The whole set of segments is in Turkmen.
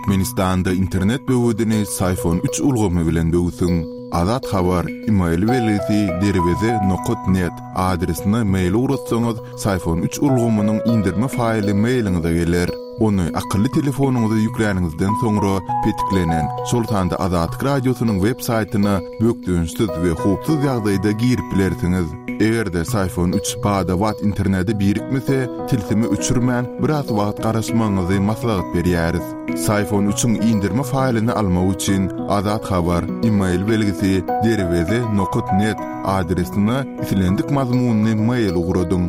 Türkmenistanda internet böwedini Syfon üç ulgamy bilen böwsüň. Azat Habar, email belgisi derweze nokat net adresine mail ugratsaňyz, Syfon üç ulgamynyň indirme faýly mailiňize geler. Ony akylly telefonyňyza ýükläniňizden soňra petiklenen, şol sanda Azatlyk Radiosynyň web saýtyna bökdençsiz we howpsuz ýagdaýda girip bilersiňiz. Eger-de Syfon üç bada-bat internete birikmese, tilsimi öçürmän, biraz wagt garaşmagyňyzy maslahat berýäris. Syfon üçiň indirme faýlyny almak üçin Azat Habar, email belgisi, derweze nokat net adresine islendik mazmunly mail ugradyň.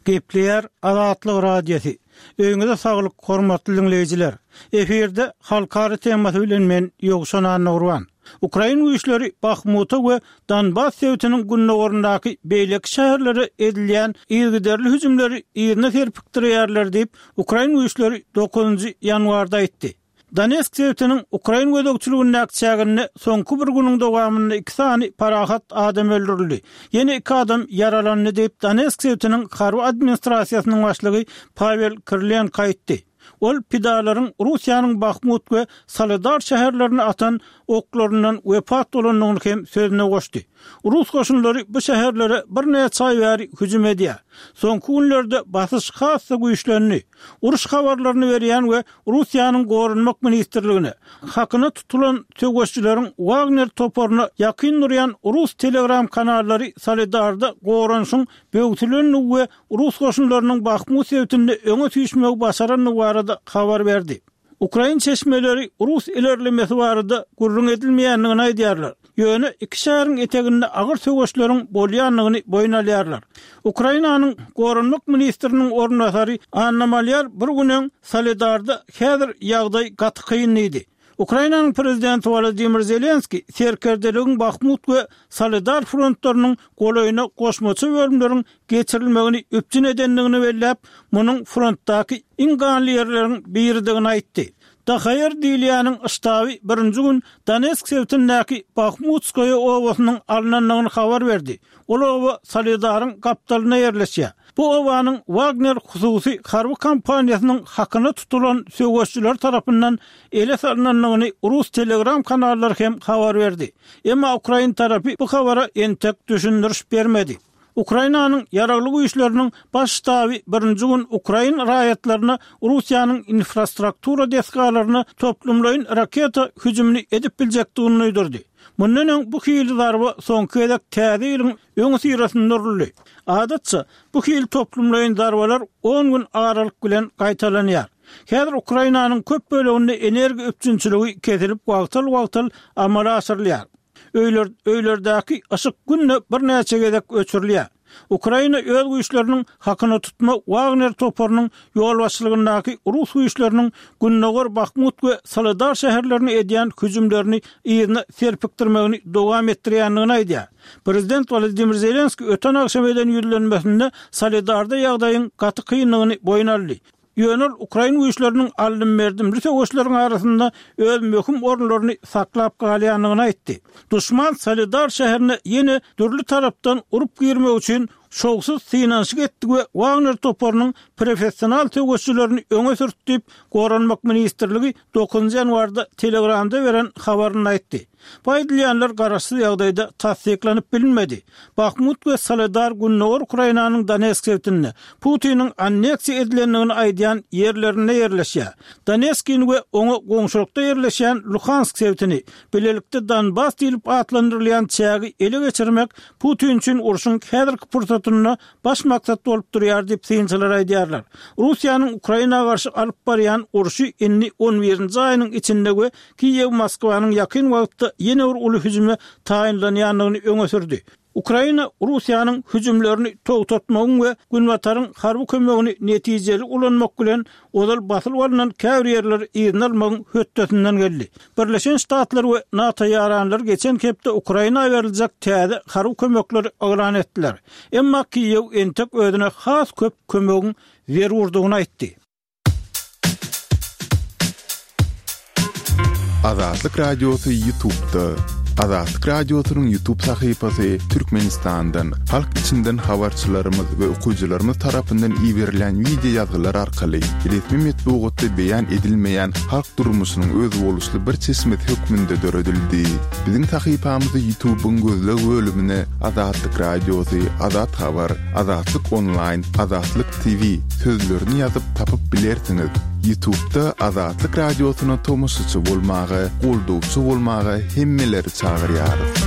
Gepleýär Azatlyk Radiosy. Öýüňize saglyk, hormatly diňleýjiler! Efirde Halkara temasy bilen men, Ýowşan Annagurban. Ukrain güýçleri Bahmuta we Donbas sebitiniň gündogaryndaky beýleki şäherlere edilýän yzygiderli hüjümleri yzyna serpikdirýärler diýip, ukrain güýçleri dokuzynjy ýanwarda aýtdy. Donetsk sebitiniň ukrain gözegçiligindäki çäginde soňky bir günüň dowamynda iki sany parahat adam öldürildi, ýene iki adam ýaralandy diýip, Donetsk sebitiniň harby administrasiýasynyň başlygy Pawel Kirilenko aýtdy. Ol pidalaryň Russiýanyň Bahmut we Soledar şäherlerine atan oklaryndan wepat bolandygyny hem sözüne goşdy. Rus goşunlary bu şäherlere birnäçe aý bäri hüjüm edýär. Soňky günlerde basyş has-da güýçlendi. Uruş habarlaryny berýän we Russiýanyň Goranmak ministrligine, hakyna tutulan söweşijileriň Wagner toparyna ýakyn durýan rus telegram kanallary Soledarda goranyşyň böwsülendigi we rus goşunlarynyň Bahmut sebitinde öňe süýşmegi başarandygy barada habar berdi. Ukrain çeşmeleri rus ilerlemesi barada gürrüň edilmeýändigini aýdýarlar. Ýöne iki şäheriň eteginde agyr söweşleriň bolýandygyny boýun alýarlar. Ukrainanyň Goranmak ministriniň orunbasary Anna Malýar bir gün öň Soledarda häzir ýagdaý gaty kyn diýdi. Ukrainanyň prezidenti Wolodymyr Zelenskiý serkerdeligiň Bahmut we Soledar frontlarynyň golaýyna goşmaça bölümleriň geçirilmegini üpjün edendigini belläp, munuň frontdaky iň ganly ýerleriň biridigini aýtdy. DHR diýilýäniň ştaby birinji gün Donetsk sebitindäki Bahmutskoýe obasynyň alnandygyny habar berdi. Ol oba Soledaryň gapdalynda ýerleşýär. Bu obanyň Wagner hususy harby kompaniýasynyň hakyna tutulan söweşijileri tarapyndan ele salnandygyny rus telegram kanallary hem habar berdi. Emma ukrain tarapy bu habara entek düşündiriş bermedi. Ukrainanyň Ýaragly Güýçleriniň Baş ştaby birinji gün ukrain raýatlaryna Russiýanyň infrastruktura desgalaryna toplumlaýyn raketa hüjümini edip biljekdigini duýdurdy. Mundan öň bu hili zarba soňky gezek Täze ýylyň öňüsyrasynda uruldy. Adatça, bu hili toplumlaýyn zarbalar on gün aralyk bilen gaýtalanýar. Häzir Ukrainanyň köp böleginde energiýa üpjünçiligi kesilip wagtal-wagtal amala aşyrylýar. Öýler, öýlerdäki yşyk günde birnäçe gezek öçürilýär. Ukraina öz güýçleriniň hakyna tutma Wagner toparynyň ýolbaşçylygyndaky rus güýçleriniň gündogar Bahmut we Soledar şäherlerine edýän hüjümlerini yzyna serpikdirmegini dowam etdirýändigini aýdýar. Prezident Wolodymyr Zelenskiý öten agşam eden ýüzlenmesinde Soledarda ýagdaýyň gaty kyndygyny boýun aldy. Ýöne ol ukrain güýçleriniň aldym-berdimli söweşleriň arasynda öz möhüm orunlaryny saklap galýandygyny aýtdy. Duşman Soledar şäherine ýene dürli tarapdan urup girmek üçin şowsuz synanyşyk etdi we Wagner toparynyň professional söweşçilerini öňe sürtdi diýip, Goranmak ministrligi dokuzynjy ýanwarda Telegramda beren habarynda aýtdy. Bu aýdylýanlar garaşsyz ýagdaýda tassyklanyp bilinmedi. Bahmut we Soledar gündogar Ukrainanyň Donetsk sebitinde, Putiniň anneksiýa edilendigini aýdýan ýerlerinde ýerleşýär. Donetskini we oňa goňşulykda ýerleşýän Luhansk sebitini, bilelikde Donbas diýlip atlandyrylýan çägi ele geçirmek Putin üçin urşuň häzirki pursatynda baş maksat bolup durýar diýip, synçylar aýdýarlar. Russiýanyň Ukraina garşy alyp barýan urşy indi on birinji aýynyň içinde we Kiýew Moskwanyň ýakyn wagtda ýene bir uly hüjüme taýynlanýandygyny öňe sürdi. Ukraina Russiýanyň hüjümlerini togtatmagyň we Günbataryň harby kömegini netijeli ulanmak bilen ozal basylyp alnan käbir ýerleri yzyna almagyň hötdesinden geldi. Birleşen Ştatlar we NATO ýaranlary geçen hepde Ukraina beriljek täze harby kömekleri yglan etdiler. Emma Kiýew entek özüne has köp kömegiň zerurdygyny aýtdy. Azatlyk Radiosy YouTube'da. Azatlyk Radiosynyň YouTube sahypasy Türkmenistandan, halk içinden habarçylarymyz we okyjylarymyz tarapyndan iberilýän wideo ýazgylar arkaly resmi metbugatda beýan edilmeýän halk durmuşynyň özboluşly bir çeşmesi hökmünde döredildi. Biziň sahypamyzy YouTube-yň gözleg bölümine Azatlyk Radiosy, Azat Habar, Azatlyk Onlaýn, Azatlyk TV sözlerini ýazyp tapyp bilersiňiz. Ýutubda Azatlyk Radiosyna tomaşaçy bolmaga, goldawçy bolmaga hemmeleri çagyrýarys.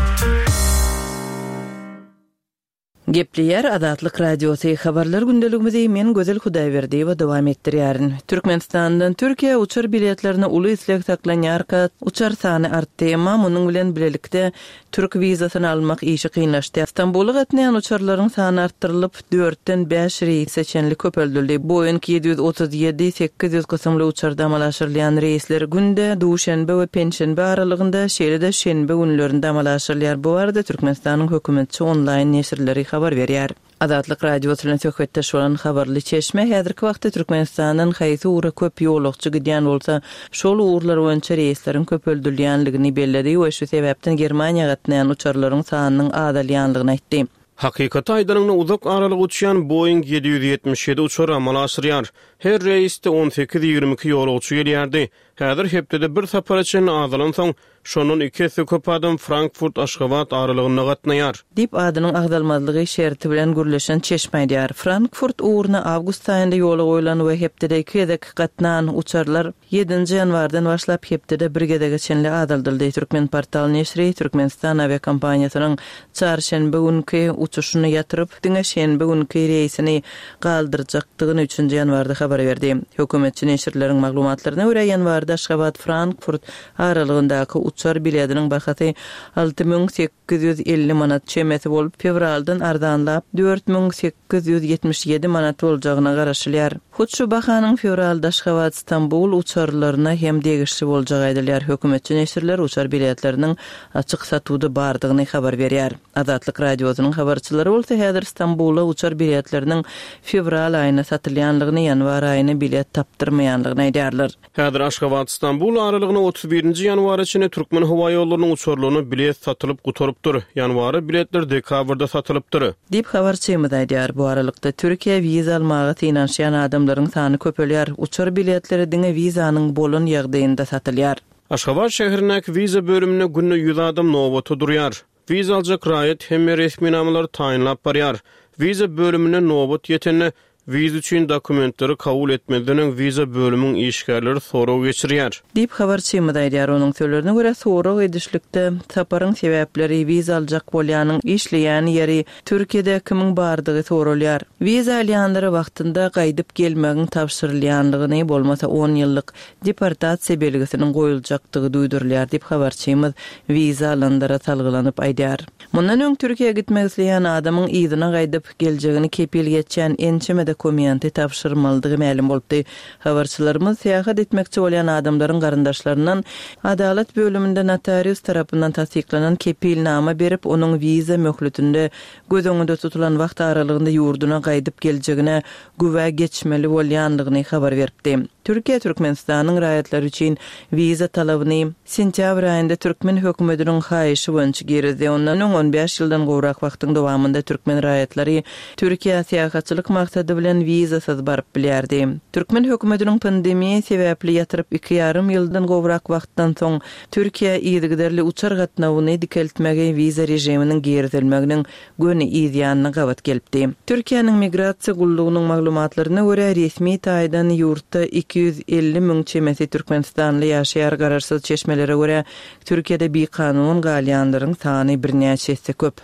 Gepleýär Azatlyk Radiosy, Habarlar gündeligimizi men Gözel Hudaýberdiýewa dowam etdirýärin. Türkmenistandan Türkiýä uçar biletlerine uly isleg saklanýarka, uçar sany artdy, emma munuň bilen bilelikde Türk wizasyny almak işi kynlaşdy. Stambula gatnaýan uçarlaryň sany artdyrylyp, dörtden bäş reýse çenli köpeldildi. Boeing 737, 800 kysymly uçarda amala aşyrylýan reýsler günde duşenbe we penşenbe aralygynda, şeýle-de şenbe günlerinde amala aşyrylýar. Bu barada Türkmenistanyň hökümetçi onlaýn neşirleri habar berýär. Azatlyk Radiosy bilen söhbetdeş bolan habarly çeşme häzirki wagtda Türkmenistandan haýsy ugra köp ýolagçy gidýän bolsa, şol ugurlar boýunça reýsleriň köpeldilýänligini belledi we şu sebäpden Germaniýa gatnaýan uçarlaryň sanynyň azalýanlygyny aýtdy. Hakykaty aýdanyňda uzak aralyga uçýan Boeing 777 uçary amala aşyrýar. Her reýsde on sekiz, 22 ýolagçy gelýärdi. Häzir hepdede bir sapara çenli azalansoň, şondan iki esse köp adam Frankfurt-Aşgabat aralygynda gatnaýar. Diýip, adynyň agzalmazlygy şerti bilen gürleşen çeşme aýdýar. Frankfurt ugruna awgust aýynda ýola goýlan we hepdede iki gezek gatnan uçarlar ýedinji ýanwardan başlap hepdede bir gezege çenli azaldyldy. Türkmenportal neşiri Türkmenistan awiakompaniýasynyň çarşenbe günki uçuşyny ýatyryp, diňe şenbe günki reýsini galdyrjakdygyny üçünji ýanwarda habar berdi. Hökümetçi neşirleriň maglumatlaryna görä, ýanwarda Aşgabat-Frankfurt aralygyndaky uçar bilediniň bahasy 6850 manat çemesi bolup, fewraldan arzanlap, 4877 manat boljagyna garaşylýar. Hut şu bahanyň fewralda Aşgabat-Stambul uçarlaryna hem degişli boljagy aýdylýar. Hökümetçi neşirler uçar biletleriniň açyk satuwda bardygyny habar berýär. Azatlyk Radiosynyň habarçylary bolsa häzir Stambula uçar biletleriniň fewral aýyna satylýanlygyny, ýanwar aýyna bilet tapdyrmaýanlygyny aýdýarlar. Häzir Aşgabat-Stambul aralygyna 31 nji ýanwara çenli Türkmenhowaýollarynyň uçarlaryna bilet satylyp gutarypdyr. Ýanwara biletler dekabrda satylypdyr. Diýip, habarçymyz aýdýar. Bu aralykda, Türkiýä wiza almaga synanyşýan adamlaryň sany köpelýär. Uçar biletleri diňe wizanyň bolan ýagdaýynda satylýar. Aşgabat şäherindäki wiza bölüminde günde ýüz adam nobata durýar. Wiza aljak raýat hemme resminamalary taýynlap barýar. Wiza bölümine nobat ýetende, wiza üçin dokumentleri kabul etmezden öň wiza bölümiň işgärleri sorag geçirýär. Diýip, habarçymyz aýdýar. Onuň sözlerine görä, sorag edişlikde saparyň sebäpleri, wiza aljak bolýanyň işleýän ýeri, Türkiýede kimiň bardygy soralýar. Wiza alýanlara wagtynda gaýdyp gelmegiň tabşyrylýanlygyny, bolmasa on ýyllyk deportasiýa belgisiniň goýuljakdygy duýdurylýar diýip, habarçymyz wiza alanlara salgylanyp aýdýar. Mundan öň Türkiýä gitmek isleýän adamyň yzyna gaýdyp geljegini kepil geçýän ençeme dokumenti tabşyrmalydygy mälim bolupdy. Habarçylarymyz syýahat etmekçi bolýan adamlaryň garyndaşlaryndan adalat bölüminde notarius tarapyndan tassyklanan kepilnama berip, onuň wiza möhletinde göz öňünde tutulan wagt aralygynda ýurduna gaýdyp geljegine güwä geçmeli bolýandygyny habar beripdi. Türkiýe Türkmenistanyň raýatlary üçin wiza talabyny sentýabr aýynda türkmen hökümetiniň haýyşy boýunça girizdi. Ondan öň on bäş ýyldan gowrak wagtyň dowamynda türkmen raýatlary Türkiýä syýahatçylyk maksady bilen wizasyz baryp bilýärdi. Türkmen hökümetiniň pandemiýa sebäpli ýatyryp iki ýarym ýyldan gowrak wagtdan soň Türkiýä yzygiderli uçar gatnawyny dikeltmegi wiza režiminiň girizilmeginiň göni yz ýanyna gabat gelipdi. Türkiýäniň Migrasiýa gullugynyň maglumatlaryna görä, resmi taýdan ýurtda 250 müň çemesi türkmenistanly ýaşaýar, garaşsyz çeşmelere görä, Türkiýede bikanun galýanlaryň sany birnäçe esse köp.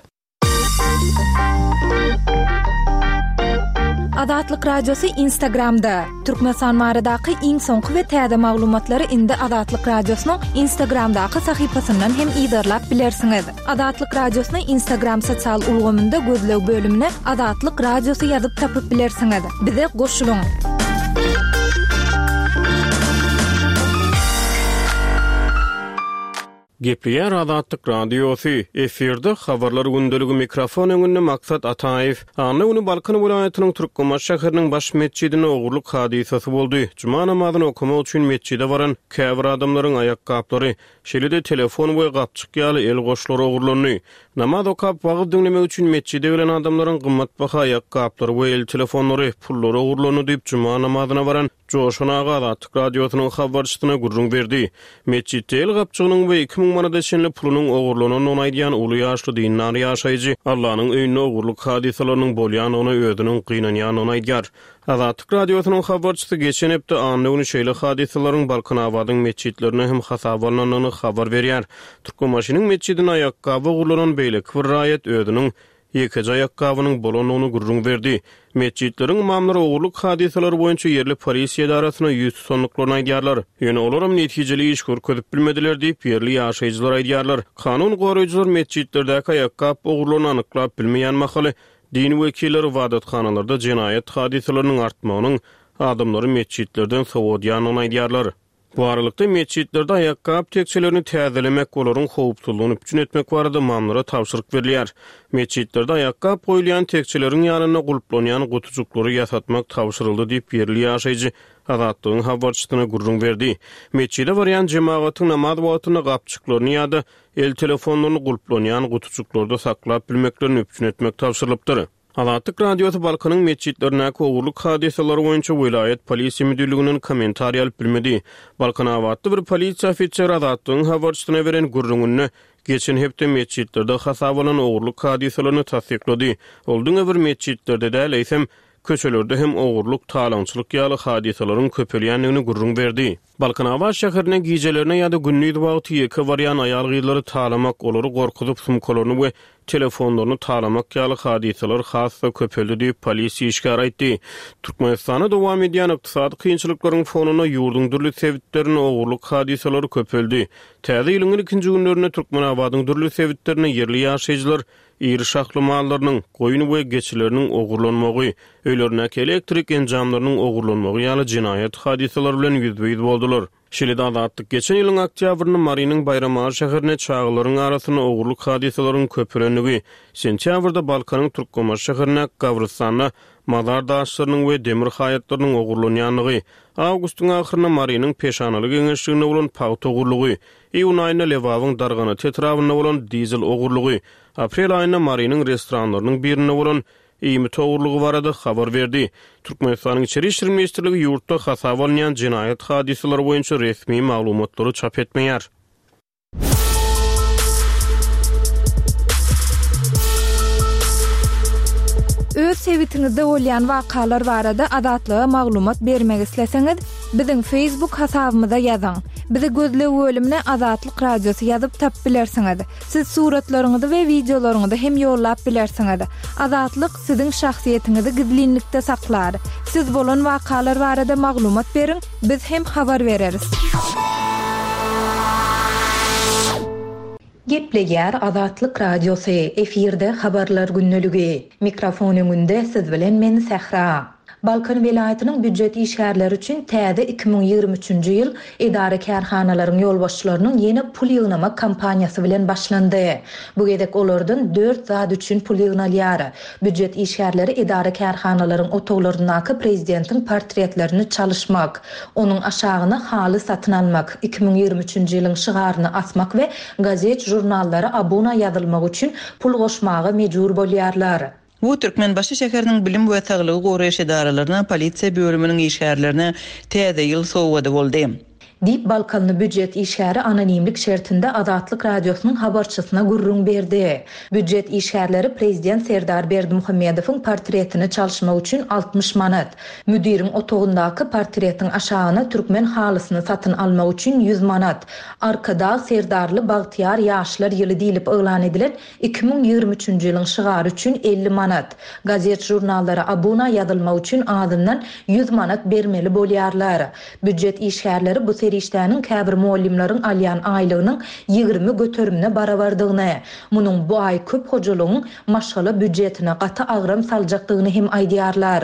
Azatlyk Radiosy Instagramda, Türkmenistan baradaky iň soňky we täze maglumatlary indi Azatlyk Radiosynyň Instagramdaky sahypasyndan hem yzarlap bilersiňiz. Azatlyk Radiosyny Instagram sosial ulgamynda gözleg bölümine Azatlyk Radiosy ýazyp tapyp bilersiňiz. Bize goşulyň! Gepleýär Azatlyk Radiosy, efirde Habarlar gündeligi mikrofon öňünde Maksat Ataýew. Anna güni Balkan welaýatynyň Türkmenbaşy şäheriniň baş metjidinde ogurlyk hadysasy boldy. Juma namazyny okamak üçin metjide baran käbir adamlaryň aýakgaplary, şeýle-de telefon we gapjyk ýaly el goşlary ogurlandy. Namaz okap, wagyz diňlemek üçin metjide gelen adamlaryň gymmatbaha aýakgaplary we el telefonlary, pullary ogurlandy diýip, juma namazyna baran Joşan aga Azatlyk Radiosynyň habarçysyna gürrüň berdi. Metjitde el gapjygynyň we 2000 manada çenli pulunyň ogurlanandygyny aýdýan uly ýaşly dindar ýaşaýjy Allanyň öýünde ogurlyk hadysalarynyň bolýandygyna özüniň gynanýandygyny aýdýar. Azatlyk Radiosynyň habarçysy geçen hepde anna güni şeýle hadysalaryň Balkanabadyň metjitlerinde hem hasaba alnandygyny habar berýär. Türkmenbaşynyň metjidinde aýakgaby ogurlanan beýleki bir raýat özüniň ýekeje aýakgabynyň bolandygyny gürrüň berdi. Metjitleriň ymamlary ogurlyk hadysalary boýunça ýerli polisiýa edarasyna ýüz tutandyklaryny aýdýarlar. Ýöne olaram netijeli iş görkezip bilmediler diýip, ýerli ýaşaýjylar aýdýarlar. Kanun goraýjylar metjitlerdäki aýakgap ogurlaryny anyklap bilmeýän mahaly, din wekilleri ybadathanalarda jenaýat hadysalarynyň artmagynyň adamlary metjitlerden sowadýandygyny aýdýarlar. Bu aralykda, metjitlerde aýakgap tekjelerini täzelemek, olaryň howpsuzlygyny üpjün etmek barada ymamlara tabşyryk berilýär. Metjitlerde aýakgap goýulýan tekjeleriň ýanynda gulplanýan gutujyklary ýasatmak tabşyryldy diýip, ýerli ýaşaýjy Azatlygyň habarçysyna gürrüň berdi. Metjide barýan jemagatyň namaz wagtynda gapjyklaryny ýa-da el telefonlaryny gulplanýan gutujyklarda saklap bilmeklerini üpjün etmek tabşyrylypdyr. Azatlyk Radiosy Balkanyň metjitlerindäki ogurlyk hadysalary boýunça welaýat polisiýa müdirliginden kommentariý alyp bilmedi. Balkanabatly bir polisiýa ofiseri Azatlygyň habarçysyna beren gürrüňinde geçen hepde metjitlerde hasaba alnan ogurlyk hadysalaryny tassyklady. Ol diňe bir metjitlerde däl, eýsem, köçelerde hem ogurlyk, talaňçylyk ýaly hadysalaryň köpelýändigini gürrüň berdi. Balkanabat şäherine gijelerine ýa-da gündiz wagty ýeke barýan aýal-gyzlary talamak, olary gorkuzyp sumkalaryny we telefonlaryny talamak ýaly hadysalar has-da köpeldi diýip, polisiýa işgäri aýtdy. Türkmenistanda dowam edýän ykdysady kynçylyklaryň fonunda ýurduň dürli sebitlerinde ogurlyk hadysalary köpeldi. Täze ýylyň ilkinji günlerinde Türkmenabadyň dürli sebitlerinde ýerli ýaşaýjylar iri şahly mallarynyň, goýun we geçileriniň ogurlanmagy, öýlerindäki elektrik enjamlarynyň ogurlanmagy ýaly jenaýat hadysalary bilen ýüzbe-ýüz boldular. Şeýle-de Azatlyk geçen ýylyň oktýabrynda Marynyň Baýramaly şäherinde çagalaryň arasynda ogurlyk hadysalaryň köpelendigi, sentýabrda Balkanyň Türkmenbaşy şäherindäki gabrystanda mazar daşlarynyň we demir haýatlarynyň ogurlanýandygy, awgustyň ahyrynda Marynyň Peşanaly geňeşliginde bolan pagta ogurlygy, Iýun aýynda Lebabyň Darganata etrabynda bolan dizel ogurlygy, aprel aýynda Marynyň restoranlarynyň birinde bolan iýmit ogurlygy barada habar berdi. Türkmenistanyň Içeri işler ministrligi ýurtda hasaba alynýan jenaýat hadysalary boýunça resmi maglumatlary çap etmeýär. Öz sebitiňizde bolýan wakalar barada Azatlyga maglumat bermek isleseňiz, Biziň Facebook hasabymyza ýazyň. Bizi gözleg bölümine Azatlyk Radiosy ýazyp tapyp bilersiňiz. Siz suratlaryňyzy we wideolaryňyzy hem ýollap bilersiňiz. Azatlyk siziň şahsyýetiňizi gizlinlikde saklar. Siz bolan wakalar barada maglumat beriň, biz hem habar bereris. Gepleýär Azatlyk Radiosy, efirde Habarlar gündeligi. Mikrofon öňünde siz bilen men Sähra. Balkan welaýatynyň býujet işgärleri üçin täze 2023-nji ýyl edara-kärhanalaryň ýolbaşçylarynyň ýene pul ýygnamak kampaniýasy bilen başlandy. Bu gezek olardan dört zat üçin pul ýygnalýar. Býujet işgärleri edara-kärhanalaryň otaglaryndaky prezidentiň portretlerini çalyşmak, Onuň aşagyna haly satyn almak, 2023-nji ýylyň şygaryny asmak we gazet-žurnallara abuna ýazylmak üçin pul goşmaga mejbur bolýarlar. Bu Türkmenbaşy şäheriniň bilim we saglygy goraýyş edaralaryna, polisiýa bölüminiň işgärlerine Täze ýyl sowgady boldy. Diýip, balkanly býujet işgäri anonimlik şertinde Azatlyk Radiosynyň habarçysyna gürrüň berdi. Býujet işgärleri prezident Serdar Berdimuhamedowyň portretini çalyşmak üçin 60 manat, Müdiriň otagyndaky portretiň aşagyna türkmen halysyny satyn almak üçin ýüz manat, Arkadag Serdarly bagtyýar ýaşlar ýyly diýlip yglan edilen 2023-nji ýylyň şygary üçin 50 manat, gazet-žurnallara abuna ýazylmak üçin azyndan ýüz manat bermeli bolýarlar. Býujet işgärleri bu serişdäniň käbir mugallymlaryň alýan aýlygynyň 20 göterimine barabardygyny, munuň bu aý köp hojalygyň maşgala býujetine gaty agram saljakdygyny hem aýdýarlar.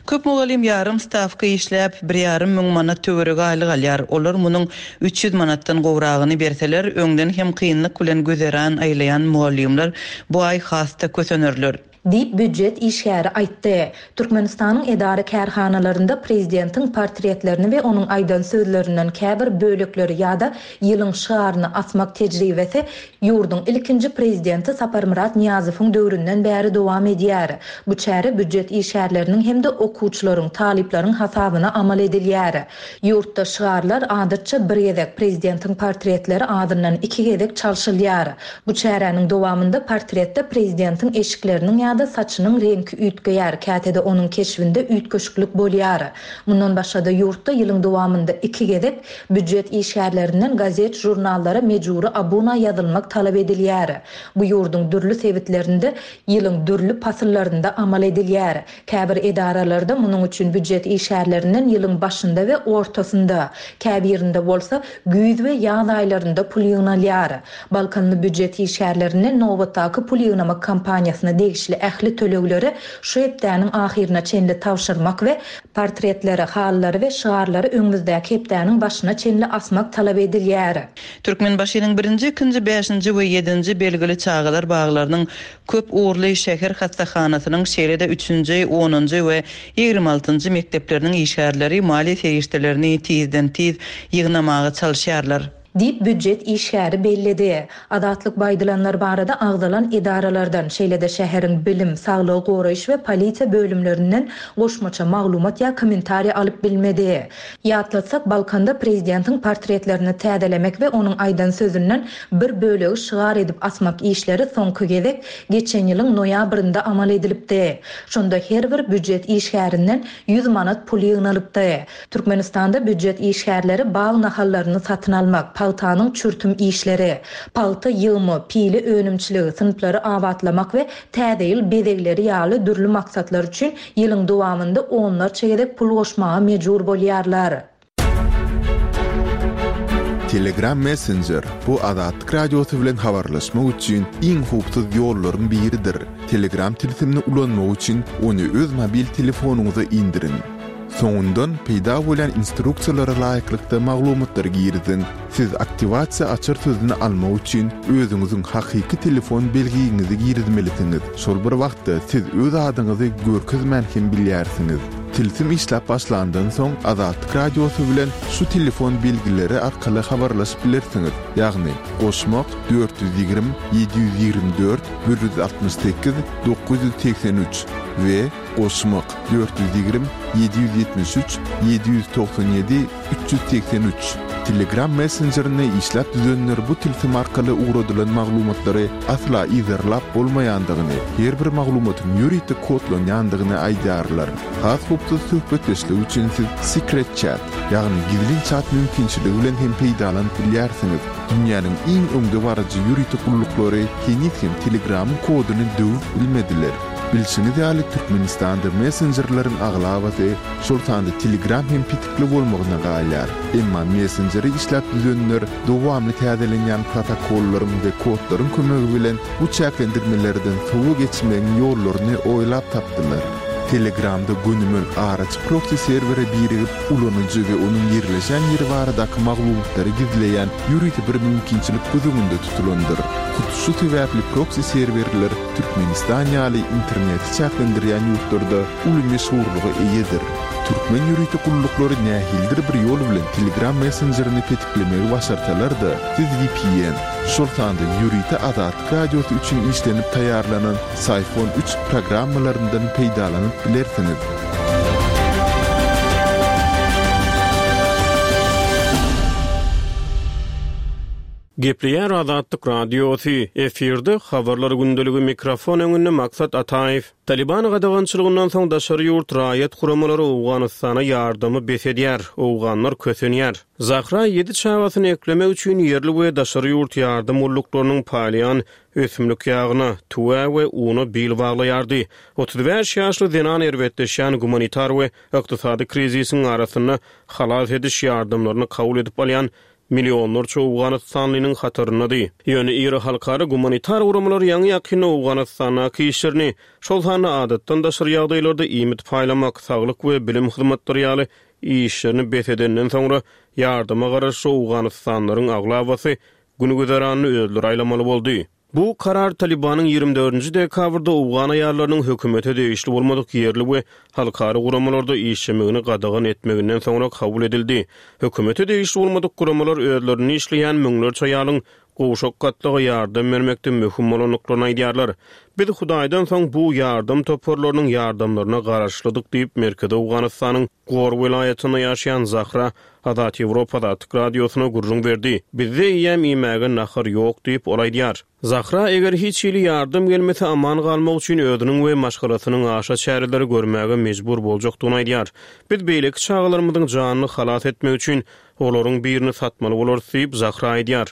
Köp mugallym ýarym stawka işläp, bir ýarym müň manat töweregi aýlyk alýar. Olar munuň 300 manatdan gowragyny berseler, öňden hem kynlyk bilen güzeran aýlaýan mugallymlar bu aý has-da kösenerler. Diýip, býujet işgäri aýtdy. Türkmenistanyň edara-kärhanalarynda prezidentiň portretlerini we onuň aýdan sözlerinden käbir bölekleri ýa-da ýylyň şygaryny asmak tejribesi Ýurduň ilkinji Prezidenti Saparmyrat Nyýazowyň döwründen bäri dowam edýär. Bu çäre býujet işgärleriniň hem-de okuwçylaryň, talyplaryň hasabyna amal edilýär. Ýurtda şygarlar, adatça, bir gezek, prezidentiň portretleri azyndan iki gezek çalşylýar. Bu çäräniň dowamynda portretde prezidentiň eşikleriniň ýa-da saçynyň reňki üýtgeýär, käte-de onuň keşbinde üýtgeşiklik bolýar. Mundan başga-da ýurtda ýylyň dowamynda iki gezek Býujet işgärlerinden gazet-žurnallara mejbury abuna ýazylmak talap edilýär. Bu ýurduň dürli sebitlerinde ýylyň dürli pasyllarynda amal edilýär. Käbir edaralarda munuň üçin býujet işgärlerinden ýylyň başynda we ortasynda, käbirinde bolsa güýz we ýaz aýlarynda pul ýygnalýar. Balkanly býujet işgärlerinden nobatdaky pul ýygnamak kampaniýasyna degişli ähli tölegleri şu hepdäniň ahyryna çenli tabşyrmak we Portretleri, halylary we şygarlary öňümizdäki hepdäniň başyna çenli asmak talap edilýär. Türkmenbaşynyň birinji, ikinji, bäşinji we ýedinji belgili çagalar baglarynyň, köp ugurly şäher hassahanasynyň, şeýle-de üçünji, onunjy we 26-njy mekdepleriniň işgärleri maliýe serişdelerini tizden-tiz ýygnamaga çalyşýarlar. Diýip, býujet işgäri belledi. Azatlyk bu aýdylanlar barada agzalan edaralardan, şeýle-de şäheriň bilim, saglygy goraýyş we polisiýa bölümlerinden goşmaça maglumat ýa kommentariý alyp bilmedi. Ýatlatsak, Balkanda prezidentiň portretlerini täzelemek we onuň aýdan sözünden bir bölegi şygar edip asmak işleri soňky gezek geçen ýylyň noýabrynda amal edilipdi. Şonda her bir býujet işgärinden 100 manat pul ýygnalypdy. Türkmenistanda býujet işgärleri bag nahallaryny satyn almak, pagtanyň çürtüm işleri, pagta ýygymy, pile önümçiligi, synplary abatlamak we Täze ýyl bezegleri ýaly dürli maksatlar üçin ýylyň dowamynda onlarça gezek pul goşmaga mejbur bolýarlar. Telegram Messenger, bu Azatlyk Radiosy bilen habarlaşmak üçin iň howpsuz ýollaryň biridir. Telegram tilsimini ulanmak üçin ony öz mobil telefonyňyza indiriň. Soňundan peýda bolýan instruksiýalara laýyklykda maglumatlary giriziň. Siz aktiwasiýa açar sözüni almak üçin özüňiziň hakyky telefon belgiňizi girizmelisiňiz. Şol bir wagtda siz öz adyňyzy görkezmän hem bilýärsiňiz. Tilsim işläp başlandan soň Azatlyk Radiosy bilen şu telefon belgileri arkaly habarlaşyp bilersiňiz, ýagny, goşmak, 420 724 168 983 we Goşmak, 420 773 797 383. Telegram messenjerini işläp düzenler bu tilsim arkaly ugradylan maglumatlary asla yzarlap bolmaýandygyny, her bir maglumatyň ýörite kodlanýandygyny aýdýarlar. Has howpsuz söhbetdeşlik üçin siz Secret Chat, ýagny gizlin çat mümkinçiligi bilen hem peýdalanyp bilýärsiňiz. Dünýäniň iň öňdebaryjy ýörite gulluklary heniz hem Telegramyň koduny döwüp bilmediler. Bilşiňiz ýaly, Türkmenistanda messenjerleriň aglabasy, şol sanda Telegram hem petikli bolmagyna galýar. Emma messenjeri işläp düzenler dowamly täzelenýän protokollaryň we kodlaryň kömegi bilen bu çäklendirmelerden sowa geçmegiň ýollaryny oýlap tapdylar. Telegramda gönümel araçy proksi serwere birigip, ulanyjy we onuň ýerleşen ýeri baradaky maglumatlary gizleýän ýörite bir mümkinçilik göz öňünde tutulandyr. Hut şu sebäpli proksi serwerler Türkmenistan ýaly interneti çäklendirýän ýurtlarda uly meşhurlyga eýedir. Türkmen ýörite gulluklary nähilidir bir ýol bilen Telegram messenjerini petiklemegi başarsalar-da, siz vpn, şol sanda ýörite Azatlyk Radiosy üçin işlenip taýýarlanan Syphon üç programmalaryndan peýdalanyp bilersiňiz. Gepleýär Azatlyk Radiosy, efirde Habarlar gündeligi mikrofon öňünde Maksat Ataýew. Taliban gadagançylygyndan soň daşary ýurt raýat guramalary Owganystana ýardamy bes edýär, owganlar kösenýär. Zahra ýedi çagasyny eklemek üçin ýerli we daşary ýurt ýardam gulluklarynyň paýlaýan ösümlik ýagyna, tüwä we una bil baglaýardy. 35 ýaşly zenan erbetleşýän gumanitar we ykdysady krizisiň arasynda halas ediş ýardamlaryny kabul edip alýan. Millionlarça owganystanlynyň hataryndady. Ýöne iri halkara gumanitar guramalar ýaňy-ýakynda Owganystandaky işlerini, şol sanda adatdan daşary ýagdaýlarda iýmit paýlamak, saglyk we bilim hyzmatlary ýaly işlerini bes edenden soňra, ýardama garaşly owganystanlylaryň aglabasy gün-güzeranyny özleri aýlamaly boldy. Bu karar Talybanyň 24-nji dekabrda owgan aýallarynyň hökümete degişli bolmadyk ýerli we halkara guramalarda işlemegini gadagan etmeginden soňra kabul edildi. Hökümete degişli bolmadyk guramalar özlerinde işleýän müňlerçe aýalyň gowşak gatlaga ýardam bermekde möhüm bolandyklaryny aýdýarlar. Biz Hudaýdan soň bu ýardam toparlarynyň ýardamlaryna garaşlydyk diýip, Merkezi Owganystanyň Gor welaýatynda ýaşaýan Zahra Azat Ýewropa Azatlyk Radiosyna gürrüň berdi. Bizde eýýäm iýmäge nahar ýok diýip, ol aýdýar. Zahra eger hiç hili ýardam gelmese aman galmak üçin özüniň we maşgalasynyň aşa çäreleri görmäge mejbur boljakdygyny aýdýar. Biz beýleki çagalarymyzyň janyny halas etmek üçin olaryň birini satmaly bolarys diýip, Zahra aýdýar.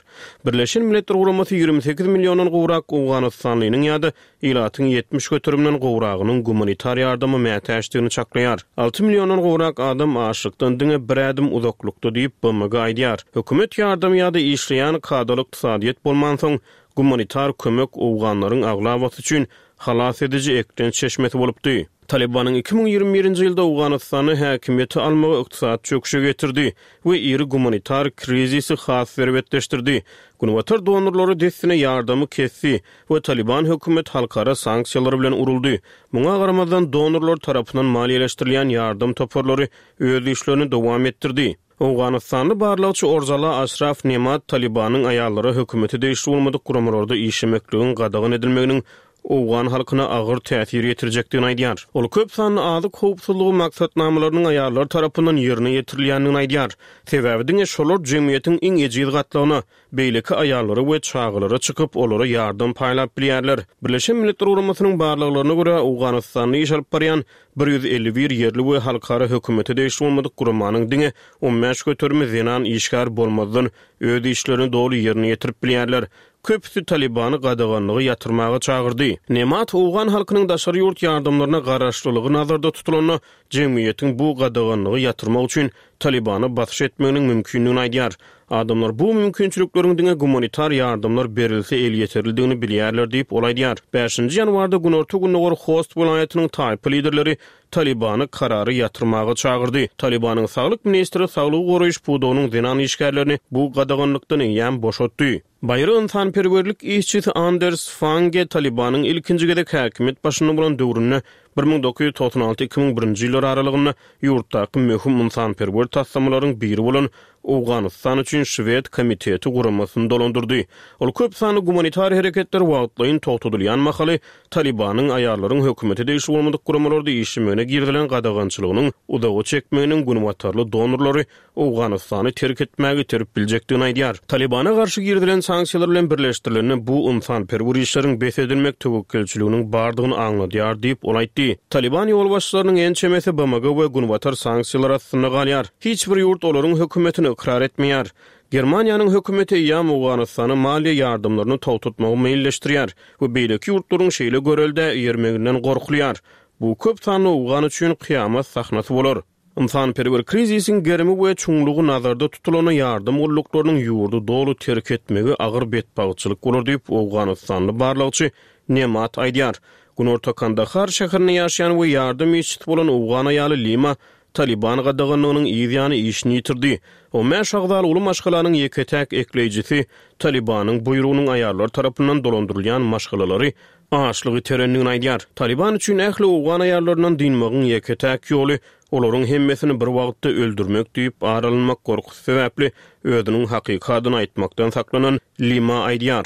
Birleşen Milletler Guramasy 28 milliondan gowrak owganystanlynyň ýa-da Ilatyň 70 göterimden gowragynyň gumanitar ýardama mätäçdigini çaklaýar. Alty milliondan gowrak adam açlykdan diňe bir ädim uzaklykda diýip, BMG aýdýar. Hökümet ýardamy ýa-da işleýän kadaly ykdysadyýet bolmansoň, gumanitar kömek owganlaryň aglabasy üçin halas ediji eklenç çeşmesi bolupdy. Talybanyň 2021-nji ýylda Owganystanda häkimiýeti almagy ykdysady çöküşe getirdi we iri gumanitar krizisi has erbetleşdirdi. Günbatar donorlary dessine ýardamy kesdi we Talyban hökümet halkara sanksiýalary bilen uruldy. Muňa garamazdan, donorlar tarapyndan maliýeleşdirilýän ýardam toparlary öz işlerini dowam etdirdi. Owganystanly barlagçy Orzala Aşraf Nemat Talybanyň aýallara hökümete degişli bolmadyk guramalarda işlemekligiň gadagan edilmeginiň owgan halkyna agyr täsir ýetirjekdigini aýdýar. Ol köp sanly azyk howpsuzlygy maksatnamalarynyň aýallar tarapyndan ýerine ýetirilýändigini aýdýar. Sebäbi diňe şolar jemgyýetiň iň ejiz gatlagyna, beýleki aýallara we çagalara çykyp, olara ýardam paýlap bilýärler. Birleşen Milletler Guramasynyň barlaglaryna görä, Owganystanda iş alyp barýan 151 ýerli we halkara hökümete degişli bolmadyk guramanyň diňe 15 göterimi zenan işgär bolmazdan öz işlerini doly ýerine ýetirip bilýärler. Köpüsi Talybany gadaganlygy ýatyrmaga çagyrdy. Nemat owgan halkynyň daşary ýurt ýardamlaryna garaşlylygy nazarda tutulanda, jemgyýetiň bu gadaganlygy ýatyrmak üçin Talybana basyş etmeginiň mümkindigini aýdýar. Adamlar bu mümkinçilikleriň diňe gumanitar ýardamlar berilse elýeterlidigini bilýärler diýip, ol aýdýar. Bäşinji ýanwarda günorta-gündogar Host welaýatynyň taýpa liderleri Talybany karary ýatyrmaga çagyrdy. Talybanyň saglyk ministri saglygy goraýyş pudagynyň zenan işgärlerini bu gadaganlykdan eýýäm boşatdy. Baýry ynsanperwerlik işçisi Anders Fange Talybanyň ilkinji gezek häkimiýet başynda bolan döwründe, 1996, 2001-nji ýyllar aralygynda ýurtdaky möhüm ynsanperwer taslamalaryň biri bolan Owganystan üçin Şwed komiteti guramasyny dolandyrdy. Ol köp sanly gumanitar hereketler wagtlaýyn togtadylýan mahaly Talybanyň aýallaryň hökümete degişli bolmadyk guramalarda işlemegine girizilen gadagançylygynyň uzaga çekmeginiň günbatarly donorlary Owganystany terk etmäge iterip biljekdigini aýdýar. Talybana garşy girizilen sanksiýalar bilen birleşdirilende bu ynsanperwer işleriň bes edilmek töwekgelçiliginiň bardygyny aňladýar diýip, ol aýtdy. Talyban ýolbaşçylarynyň ençemesi BMG we Günbatar sanksiýalary astynda galýar. Hiç bir ýurt olaryň hökümetini ykrar etmeýär. Germaniýanyň hökümeti eýýäm Owganystana maliýe ýardamlaryny togtatmagy meýilleşdirýär we beýleki ýurtlaryň şeýle göreldä eýermeginden gorkulýar. Bu köp sanly owgan üçin kyýamat sahnasy bolar. Ynsanperwer krizisiň gerimi we çuňlugy nazarda tutulanda ýardam gulluklarynyň ýurdy doly terk etmegi agyr betbagtçylyk bolar diýip, owganystanly barlagçy Nemat aýdýar. Günorta Kandahar şäherinde ýaşaýan we ýardam işçisi bolan owgan aýaly Lima Talyban gadaganlygynyň yz ýany işini ýitirdi. On bäş agzaly uly maşgalanyň ýeke-täk ekleýjisi Talybanyň buýrugynyň aýallar tarapyndan dolandyrylýan maşgalalary açlyk iterendigini aýdýar. Talyban üçin ähli owgan aýallaryndan dynmagyň ýeke-täk ýoly olaryň hemmesini bir wagtda öldürmek diýip, ar alynmak gorkusy sebäpli özüniň hakyky adyny aýtmakdan saklanan Lima aýdýar.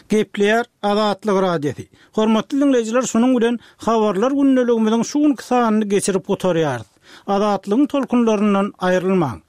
Gepleýär Azatlyk Radiosy. Hormatly diňleýjiler şunuň bilen Habarlar gündeligimiziň şu günki sanyny geçirip gutarýarys. Azatlygyň tolkunlaryndan aýrylmaň.